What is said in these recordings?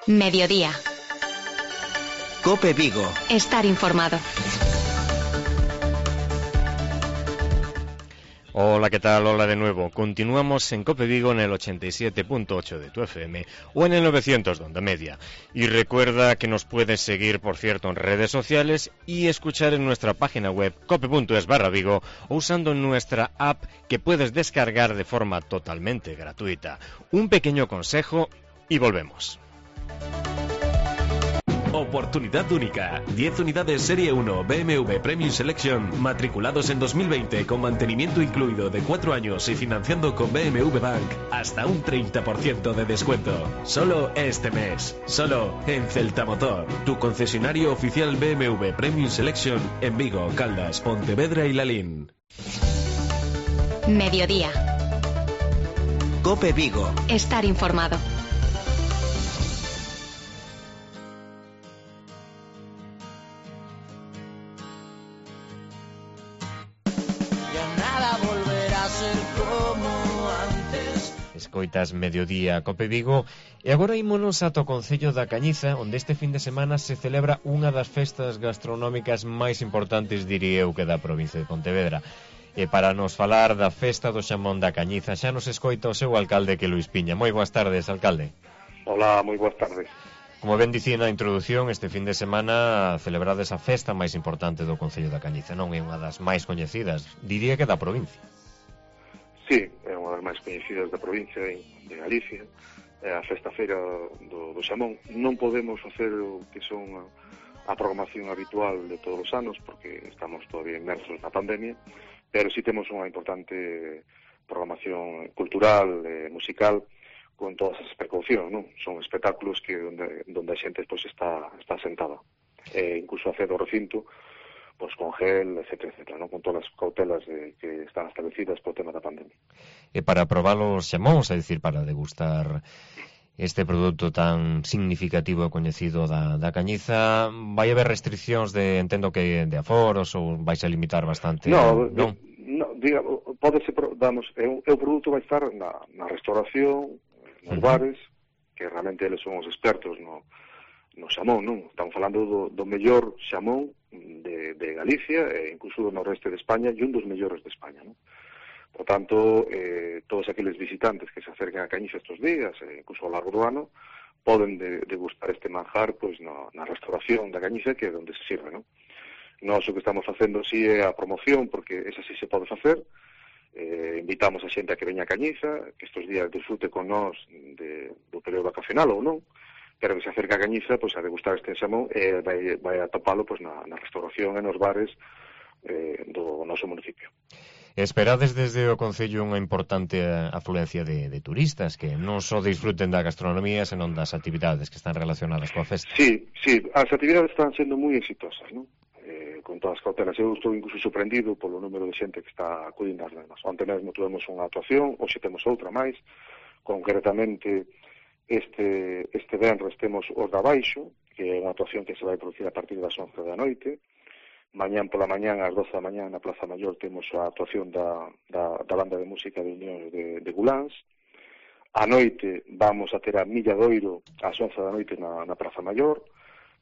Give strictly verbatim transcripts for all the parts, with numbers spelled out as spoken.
Mediodía. Cope Vigo. Estar informado. Hola, ¿qué tal? Hola de nuevo. Continuamos en Cope Vigo en el ochenta y siete punto ocho de tu F M o en el novecientos de onda media. Y recuerda que nos puedes seguir, por cierto, en redes sociales y escuchar en nuestra página web cope punto es barra Vigo o usando nuestra app que puedes descargar de forma totalmente gratuita. Un pequeño consejo y volvemos. Oportunidad única. diez unidades Serie uno B M W Premium Selection matriculados en dos mil veinte con mantenimiento incluido de cuatro años y financiando con B M W Bank hasta un treinta por ciento de descuento. Solo este mes. Solo en Celta Motor, tu concesionario oficial B M W Premium Selection en Vigo, Caldas, Pontevedra y Lalín. Mediodía. Cope Vigo. Estar informado. Escoitas Mediodía Cope Vigo e agora ímonos ata o Concello da Cañiza, onde este fin de semana se celebra unha das festas gastronómicas máis importantes, diría eu, que da provincia de Pontevedra. E para nos falar da festa do xamón da Cañiza xa nos escoita o seu alcalde, que Luís Piña. Moi boas tardes, alcalde. Hola, moi boas tardes. Como ben dicía na introdución, este fin de semana celebrades a festa máis importante do Concello da Cañiza, non é unha das máis coñecidas, diría que da provincia. Sí, é unha das máis coñecidas da provincia de Galicia, é a festa feira do, do xamón. Non podemos facer o que son a, a programación habitual de todos os anos, porque estamos todavía inmersos na pandemia, pero sí temos unha importante programación cultural, eh, musical, con todas as precaucións, non? Son espectáculos que onde, onde a xente pois, está, está sentada. E incluso hacer o recinto, pois con gel, etcétera, etcétera, ¿no? Con todas as cautelas de, que están establecidas por tema da pandemia. E para probar os xamóns, é dicir, para degustar este produto tan significativo e coñecido da, da Cañiza, vai haber restriccións de, entendo que de aforos, ou vais a limitar bastante? No, non? no diga, pode ser, vamos, é un, é o produto vai estar na, na restauración, nos uh-huh. bares, que realmente eles son os expertos no, no xamón, non? Estamos falando do, do mellor xamón de, de Galicia e incluso do noroeste de España e un dos mellores de España, non? Por tanto, eh, todos aqueles visitantes que se acerquen a Cañiza estes días, e incluso ao largo do ano, poden de, degustar este manjar pois, no, na restauración da Cañiza, que é onde se sirve, non? Nós o que estamos facendo si é a promoción, porque esa si se pode facer. Eh, invitamos a xente a que veña a Cañiza, que estes días disfrute con nós de, do período vacacional ou non, pero que se acerca a Cañiza pois, a degustar este xamón e vai, vai a topalo pois, na, na restauración e nos bares eh, do noso municipio. Esperades desde o Concello unha importante afluencia de, de turistas que non só disfruten da gastronomía, senón das actividades que están relacionadas coa festa. Sí, sí, as actividades están sendo moi exitosas, non? Eh, con todas as cautelas. Eu estou incluso sorprendido polo número de xente que está acudindo ás mesmas. Onte mesmo tuvemos unha actuación, hoxe temos outra máis, concretamente este, este venres temos os da Baixo, que é unha actuación que se vai producir a partir das once da noite. Mañán pola mañán, ás doce da mañán, na Plaza Maior, temos a actuación da, da, da banda de música de Unión de, de Guláns. A noite vamos a ter a Milladoiro ás once da noite na, na Praza Maior.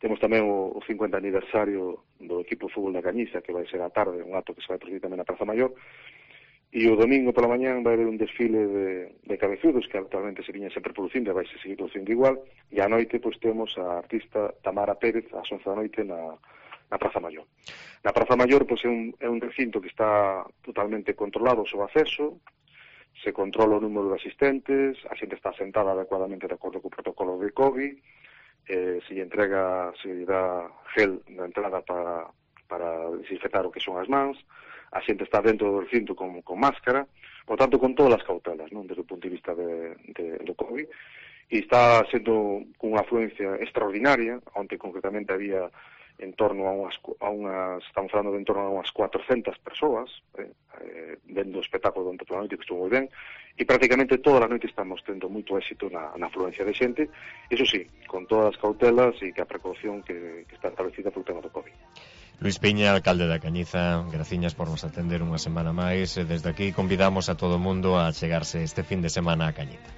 Temos tamén o, o cincuenta aniversario do equipo de fútbol da Cañiza, que vai ser a tarde, un acto que se vai producir tamén na Praza Maior. E o domingo pola mañán vai haber un desfile de, de cabezudos, que actualmente se viña sempre producindo e vai se seguir producindo igual. E a noite, pois, temos a artista Tamara Pérez ás once da noite na na Praza Maior. Na Praza Maior pois, é, un, é un recinto que está totalmente controlado o seu acceso, se controla o número de asistentes, a xente está sentada adecuadamente de acordo co protocolo de COVID, eh, se lle entrega, se lle dá gel na entrada para, para desinfectar o que son as mans, a xente está dentro do recinto con, con máscara, por tanto con todas as cautelas, non, desde o punto de vista de, de, do COVID, e está sendo cunha afluencia extraordinaria, onde concretamente había en torno a unhas, a unhas estamos falando de en torno a unhas cuatrocentas persoas eh, eh, vendo o espectáculo durante toda a noite, que estuvo moi ben, e prácticamente toda a noite estamos tendo moito éxito na, na afluencia de xente, iso sí, con todas as cautelas e que a precaución que, que está establecida polo tema do COVID. Luís Piña, alcalde da Cañiza, graciñas por nos atender unha semana máis, e desde aquí convidamos a todo o mundo a chegarse este fin de semana a Cañiza.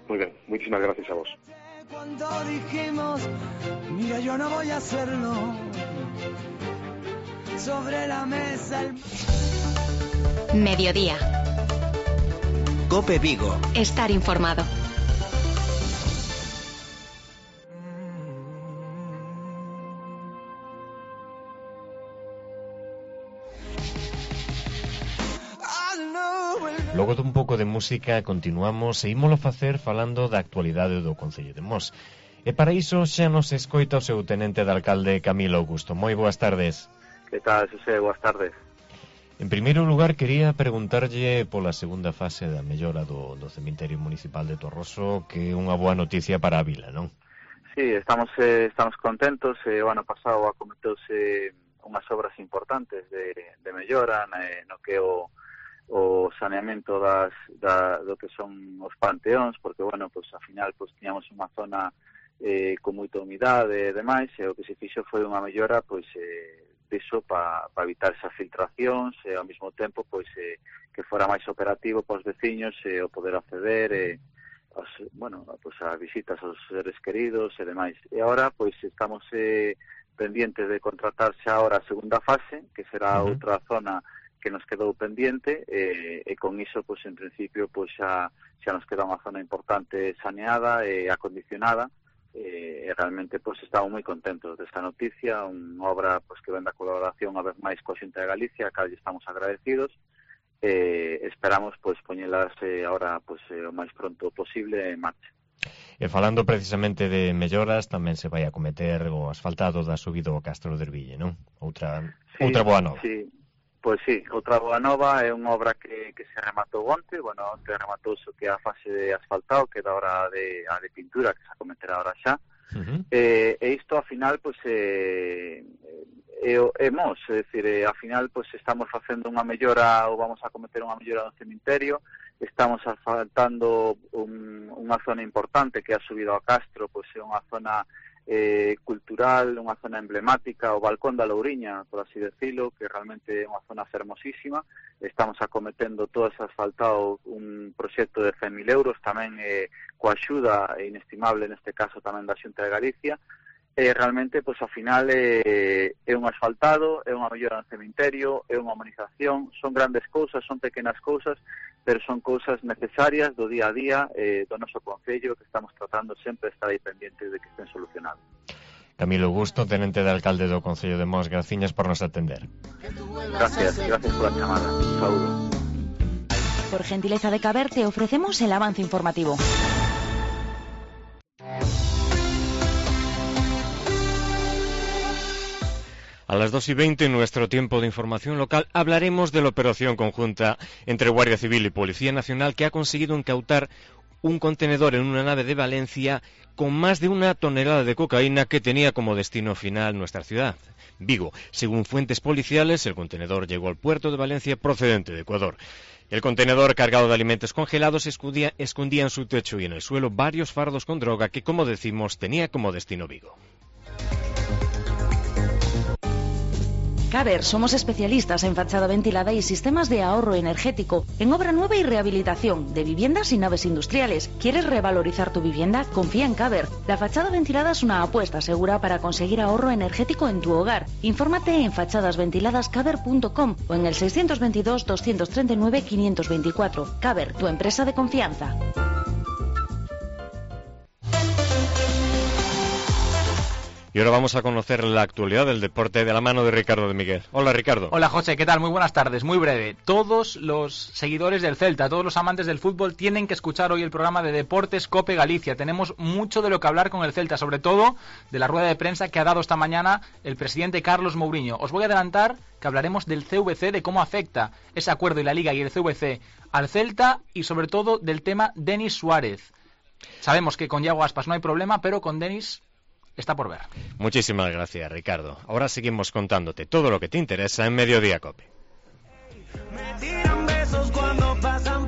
Moi ben, moitísimas gracias a vos. Cuando dijimos, mira, yo no voy a hacerlo, sobre la mesa el... Mediodía. COPE Vigo. Estar informado. Logo dun pouco de música continuamos e ímolo facer falando da actualidade do Concello de Mos. E para iso xa nos escoita o seu tenente de alcalde Camilo Augusto. Moi boas tardes. Que tal, Xosé? Boas tardes. En primeiro lugar, quería preguntarlle pola segunda fase da mellora do, do cemiterio municipal de Torroso, que é unha boa noticia para a vila, non? Sí, estamos eh, estamos contentos. Eh, o ano pasado acometouse unhas obras importantes de, de mellora eh, no que o o saneamento das, da, do que son os panteóns, porque, bueno, pues, ao final, pues, tiñamos unha zona eh, con moita humidade e demais, e o que se fixo foi unha mellora, pois, eh, diso para pa evitar esas filtracións, e ao mesmo tempo, pois, eh, que fora máis operativo para os veciños, e eh, o poder acceder, e, eh, os, bueno, pues, as visitas aos seres queridos e demais. E agora, pois, estamos eh, pendientes de contratarse agora a segunda fase, que será uh-huh. outra zona que nos quedou pendiente e, e con iso, pois, en principio, pois, xa, xa nos queda unha zona importante saneada e acondicionada e, e realmente, pois, estamos moi contentos desta noticia, unha obra, pois, que ven da colaboración a vez máis coa Xunta de Galicia, a cal estamos agradecidos e esperamos, pois, poñelas eh, ahora, pois, eh, o máis pronto posible en marcha. E falando precisamente de melloras, tamén se vai a cometer o asfaltado da subida ao Castro de Erville, non? Outra, sí, outra boa nova. Sí. Pois sí, outra boa nova é unha obra que, que se rematou onte, bueno, onte rematou o que é a fase de asfaltado, que é da hora de, a de pintura, que se acometerá ahora xa. Uh-huh. E, e isto, ao final, pois, é, é, é mos, é dicir, é, ao final, pois, estamos facendo unha mellora, ou vamos a cometer unha mellora no cemiterio, estamos asfaltando un, unha zona importante que ha subido ao Castro, pois é unha zona Eh, cultural, unha zona emblemática, o Balcón da Louriña, por así decirlo, que realmente é unha zona fermosísima. Estamos acometendo todo ese asfaltado, un proxecto de cen mil euros, tamén eh, coa axuda inestimable, neste caso tamén da Xunta de Galicia. E realmente, pois, ao final, eh, é un asfaltado, é unha mellora no cemiterio, é unha humanización, son grandes cousas, son pequenas cousas, pero son cousas necesarias do día a día eh, do noso Concello, que estamos tratando sempre de estar aí pendientes de que estén solucionados. Camilo Augusto, tenente de alcalde do Concello de Mos, graciñas por nos atender. Gracias, gracias por la chamada. Un saludo. Por gentileza de Caber, te ofrecemos el avance informativo. A las dos y veinte, en nuestro tiempo de información local, hablaremos de la operación conjunta entre Guardia Civil y Policía Nacional que ha conseguido incautar un contenedor en una nave de Valencia con más de una tonelada de cocaína que tenía como destino final nuestra ciudad, Vigo. Según fuentes policiales, el contenedor llegó al puerto de Valencia procedente de Ecuador. El contenedor cargado de alimentos congelados escondía, escondía en su techo y en el suelo varios fardos con droga que, como decimos, tenía como destino Vigo. Caber, somos especialistas en fachada ventilada y sistemas de ahorro energético, en obra nueva y rehabilitación de viviendas y naves industriales. ¿Quieres revalorizar tu vivienda? Confía en Caber. La fachada ventilada es una apuesta segura para conseguir ahorro energético en tu hogar. Infórmate en fachadas ventiladas caber punto com o en el seiscientos veintidós, doscientos treinta y nueve, quinientos veinticuatro. Caber, tu empresa de confianza. Y ahora vamos a conocer la actualidad del deporte de la mano de Ricardo de Miguel. Hola, Ricardo. Hola, José, ¿qué tal? Muy buenas tardes, muy breve. Todos los seguidores del Celta, todos los amantes del fútbol tienen que escuchar hoy el programa de Deportes COPE Galicia. Tenemos mucho de lo que hablar con el Celta, sobre todo de la rueda de prensa que ha dado esta mañana el presidente Carlos Mouriño. Os voy a adelantar que hablaremos del C V C, de cómo afecta ese acuerdo y la Liga y el C V C al Celta y sobre todo del tema Denis Suárez. Sabemos que con Iago Aspas no hay problema, pero con Denis está por ver. Muchísimas gracias, Ricardo. Ahora seguimos contándote todo lo que te interesa en Mediodía COPE. Me tiran besos cuando pasan